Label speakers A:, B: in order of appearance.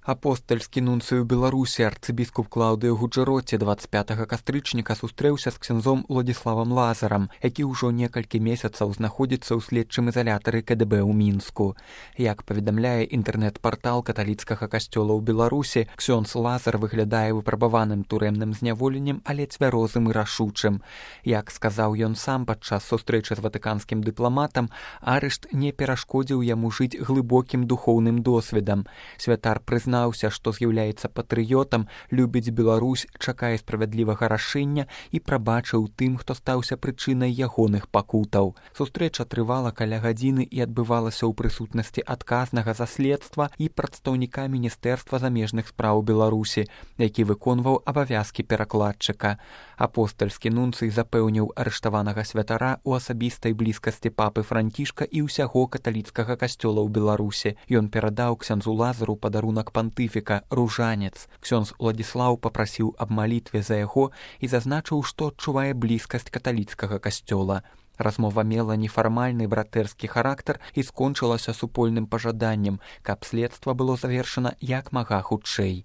A: Апостальскі нунцый у Беларусі арцыбіскуп Клаўдыё Гуджэроці 25 кастрычніка сустрэўся з ксяндзом Уладзіславам Лазарам, які ўжо некалькі месяцаў знаходзіцца ў следчым изалятары КДБ ў Мінску. Як паведамляе інтэрнэт-партал каталіцкага касцёла ў Беларусі, ксёндз Лазар выглядае выпрабаваным турэмным зняволеннем, але цвярозым і рашучым. Як сказаў ён сам падчас сустрэчы з ватыканскім дыпламатам, арышт не перашкодзіў яму жыць глыбокім духоўным досведам. Святар прызнаўся, што з'яўляецца патрыётам, любіць Беларусь, чакае справядлівага рашэння і прабачыў тым, хто стаўся прычынай ягоных пакутаў. Сустрэча трывала каля гадзіны і адбывалася ў прысутнасці адказнага за следства і прадстаўніка Міністэрства замежных спраў Беларусі, які выконваў абавязкі перакладчыка. Апостальскі нунцый запэўніў арыштаванага святара ў асабістай блізкасці папы Францішка і ўсяго каталіцкага касцёла ў Беларусі. Ён перадаў ксяндзу Лазару падарунак пантыфіка, ружанец. Ксёндз Уладзіслаў папрасіў аб малітве за яго і зазначыў, што адчувае блізкасць каталіцкага касцёла. Размова мела нефармальны братэрскі характар і скончылася супольным пажаданнем, каб следства было завершана як мага хутчэй.